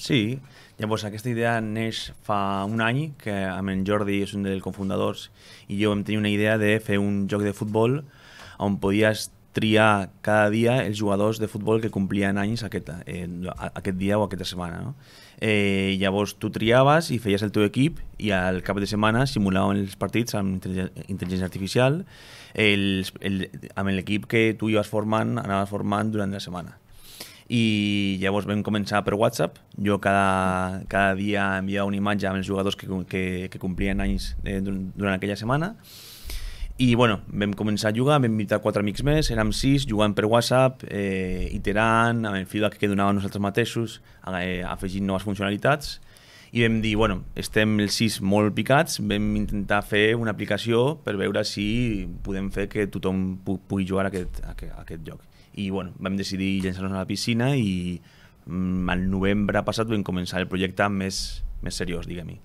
Sí, llavors aquesta idea neix fa un any, que amb en Jordi és un dels cofundadors i jo vam tenir una idea de fer un joc de futbol on podies triar cada dia els jugadors de futbol que complien anys aquest dia o aquesta setmana. No? Llavors tu triaves i feies el teu equip i al cap de setmana simulaven els partits amb intel·ligència artificial amb l'equip que tu anaves formant durant la setmana. I llavors vam començar per WhatsApp. Jo cada dia enviava una imatge amb els jugadors que complien anys durant aquella setmana. I bueno, vam començar a jugar, vam invitar 4 amics més, érem 6, jugant per WhatsApp, iterant, amb el feedback que donàvem nosaltres mateixos, afegint noves funcionalitats. I vam dir, bueno, estem els 6 molt picats, vam intentar fer una aplicació per veure si podem fer que tothom pugui jugar a aquest joc. I bueno, vam decidir llançar-nos a la piscina i al novembre passat vam començar el projecte més seriós, diguem-hi.